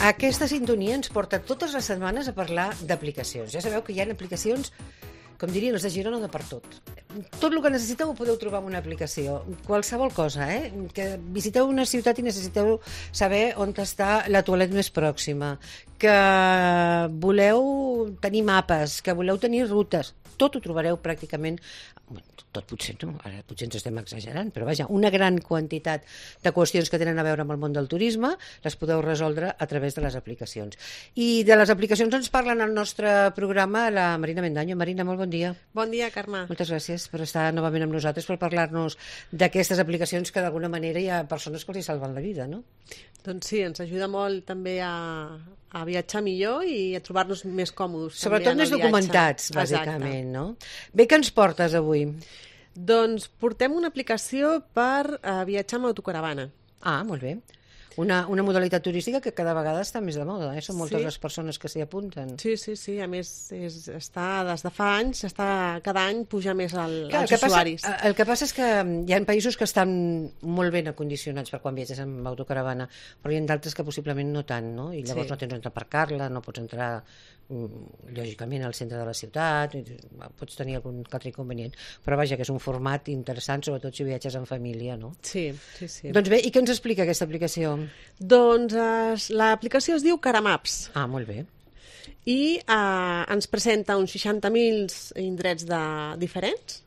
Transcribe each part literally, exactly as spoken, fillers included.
Aquesta sintonia ens porta totes les setmanes a parlar d'aplicacions. Ja sabeu que hi ha aplicacions, com dirien els de Girona, de per tot. Tot el que necessiteu ho podeu trobar en una aplicació. Qualsevol cosa, eh? Que visiteu una ciutat i necessiteu saber on està la toilet més pròxima, que voleu tenir mapes, que voleu tenir rutes. Tot ho trobareu pràcticament, tot potser no, ara potser ens estem exagerant, però vaja, una gran quantitat de qüestions que tenen a veure amb el món del turisme les podeu resoldre a través de les aplicacions. I de les aplicacions ens parlen al nostre programa la Marina Mendaño. Marina, molt bon dia. Bon dia, Carme. Moltes gràcies per estar novament amb nosaltres, per parlar-nos d'aquestes aplicacions que d'alguna manera hi ha persones que els hi salven la vida, no? Doncs sí, ens ajuda molt també a, a viatjar millor i a trobar-nos més còmodes. Sobretot més documentats, bàsicament, no? Bé, què ens portes avui? Doncs portem una aplicació per uh, viatjar amb autocaravana. Ah, molt bé. Una, una modalitat turística que cada vegada està més de moda, eh? Són moltes sí. les persones que s'hi apunten. Sí, sí, sí, a més és, està des de fa anys, està, cada any puja més el, Clar, els el que usuaris. Passa, el que passa és que hi ha països que estan molt ben acondicionats per quan viatges amb autocaravana, però hi ha d'altres que possiblement no tant, no? I llavors sí. no tens on aparcar-la, no pots entrar lògicament al centre de la ciutat, pots tenir algun altre inconvenient, però vaja, que és un format interessant, sobretot si viatges en família, no? Sí, sí, sí. Doncs bé, i què ens explica aquesta aplicació? Doncs eh, l'aplicació es diu Caramaps. Ah, molt bé. I eh, ens presenta uns seixanta mil indrets de, diferents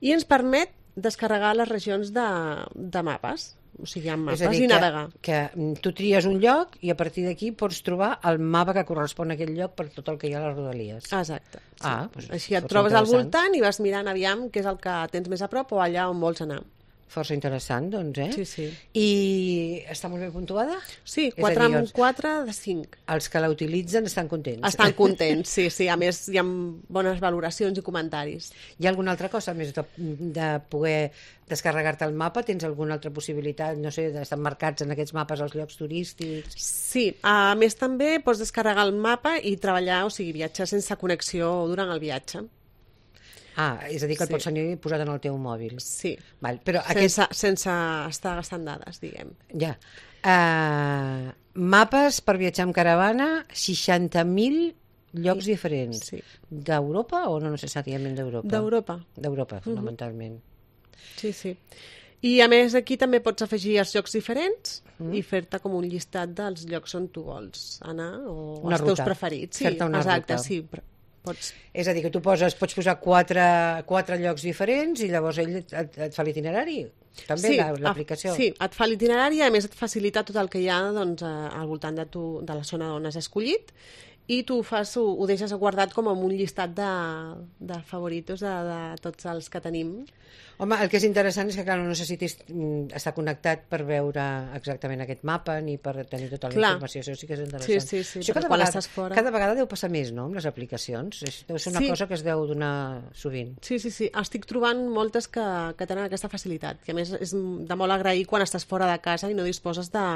i ens permet descarregar les regions de, de mapes. O sigui, amb mapes dir, i navegar. Que, que tu tries un lloc i a partir d'aquí pots trobar el mapa que correspon a aquell lloc per tot el que hi ha a les rodalies. Exacte. Sí. Ah, doncs així et trobes al voltant i vas mirant aviam què és el que tens més a prop o allà on vols anar. Força interessant, doncs, eh? Sí, sí. I està molt ben puntuada? Sí, quatre amb quatre de cinc. Els que la utilitzen estan contents. Estan contents, sí, sí. A més, hi ha bones valoracions i comentaris. Hi ha alguna altra cosa més de, de poder descarregar-te el mapa? Tens alguna altra possibilitat, no sé, d'estar marcats en aquests mapes als llocs turístics? Sí, a més també pots descarregar el mapa i treballar, o sigui, viatjar sense connexió durant el viatge. Ah, és a dir, que el sí. pots tenir posat en el teu mòbil. Sí, Val, però sense, aquest... sense estar gastant dades, diguem. Ja. Uh, mapes per viatjar amb caravana, seixanta mil llocs sí. diferents. Sí. D'Europa o no necessàriament d'Europa? D'Europa. D'Europa, fonamentalment. Uh-huh. Sí, sí. I a més aquí també pots afegir els llocs diferents mm. i fer-te com un llistat dels llocs on tu vols anar o una els ruta. teus preferits. Sí, fer-te una exacte, ruta. sí. Pots... És a dir, que tu poses, pots posar quatre, quatre llocs diferents i llavors ell et, et fa l'itinerari? També sí, l'aplicació? Sí, et fa l'itinerari i a més et facilita tot el que hi ha doncs, al voltant de, tu, de la zona on has escollit i tu fas, ho, ho deixes guardat com en un llistat de, de favoritos de, de tots els que tenim. Home, el que és interessant és que, clar, no necessitis estar connectat per veure exactament aquest mapa ni per tenir tota la clar. informació. Això sí que és interessant. Sí, sí, sí. Això cada vegada, fora... cada vegada deu passar més, no?, amb les aplicacions. Deu ser una sí. cosa que es deu donar sovint. Sí, sí, sí. Estic trobant moltes que, que tenen aquesta facilitat, que a més és de molt agrair quan estàs fora de casa i no disposes de...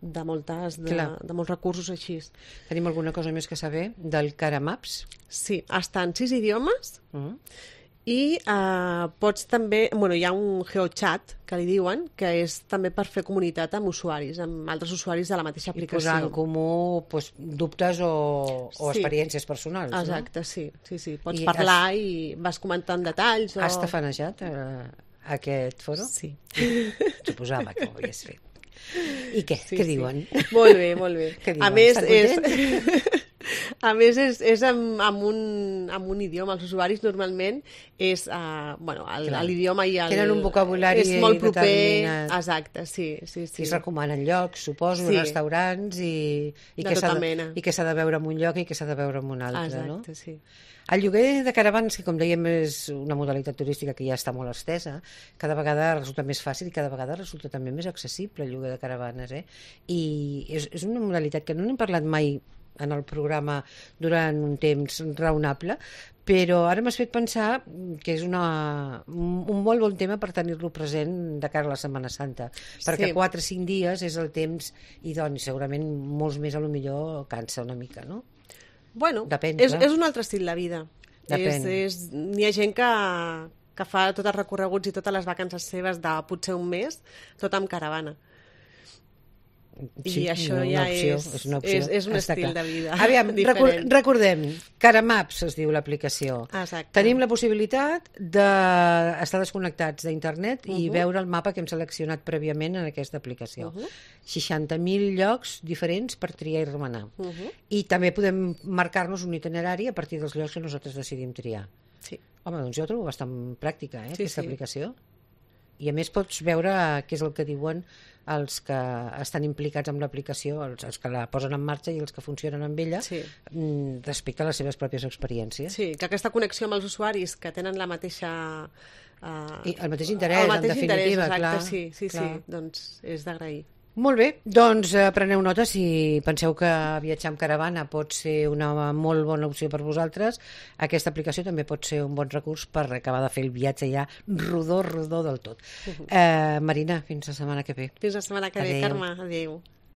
de moltes, de, de molts recursos així. Tenim alguna cosa més que saber del Caramaps? Sí, està en sis idiomes uh-huh. i eh, pots també, bueno, hi ha un GeoChat que li diuen, que és també per fer comunitat amb usuaris, amb altres usuaris de la mateixa aplicació. I posar en comú pues, dubtes o, o sí. experiències personals. Exacte, no? sí, sí, sí. Pots I parlar has... i vas comentant detalls. O... Has tafanejat eh, aquest foro? Sí. Suposava que ho havies fet. I què? Sí, què sí. diuen? Molt bé, molt bé. Diuen? A més, és, a més és, és amb, amb, un, amb un idioma. Els usuaris normalment és uh, bueno, l'idioma i el... Tenen un vocabulari és molt proper. Determinat. Exacte, sí. sí, sí. I es recomanen llocs, suposo, sí. restaurants i, i, de què tota de, mena. i què s'ha de veure en un lloc i què s'ha de veure en un altre. Exacte, no? sí. El lloguer de caravanes, que com dèiem és una modalitat turística que ja està molt estesa, cada vegada resulta més fàcil i cada vegada resulta també més accessible el lloguer de caravanes. Eh? I és, és una modalitat que no n'hem parlat mai en el programa durant un temps raonable, però ara m'has fet pensar que és una, un molt bon tema per tenir-lo present de cara a la Setmana Santa, perquè quatre o cinc dies és el temps idoni, segurament molts més a lo millor cansa una mica, no? Bueno, Depèn, és, és un altre estil de vida. Depèn. És, és, hi ha gent que, que fa tots els recorreguts i totes les vacances seves de potser un mes, tot amb caravana. I això una ja opció, és, és, una opció, és, és un està estil clar. de vida Aviam, record, diferent. recordem, Caramaps es diu l'aplicació. Exacte. Tenim la possibilitat d'estar desconnectats d'internet i Uh -huh. veure el mapa que hem seleccionat prèviament en aquesta aplicació. Uh -huh. seixanta mil llocs diferents per triar i remenar. Uh -huh. I també podem marcar-nos un itinerari a partir dels llocs que nosaltres decidim triar. Sí. Home, doncs jo ho trobo bastant pràctica, eh, Sí, aquesta sí. aplicació. I a més pots veure què és el que diuen els que estan implicats amb l'aplicació, els, els que la posen en marxa i els que funcionen amb ella, Sí. mm, respecte a les seves pròpies experiències. Sí, que aquesta connexió amb els usuaris que tenen la mateixa... Uh, I el mateix interès, el mateix en definitiva, interès, exacte, clar. sí, sí, clar. sí, doncs és d'agrair. Molt bé, doncs eh, preneu nota si penseu que viatjar amb caravana pot ser una molt bona opció per vosaltres. Aquesta aplicació també pot ser un bon recurs per acabar de fer el viatge ja rodó, rodó del tot. Uh -huh. eh, Marina, fins la setmana que ve. Fins la setmana que ve, Adéu. Carme. Adéu.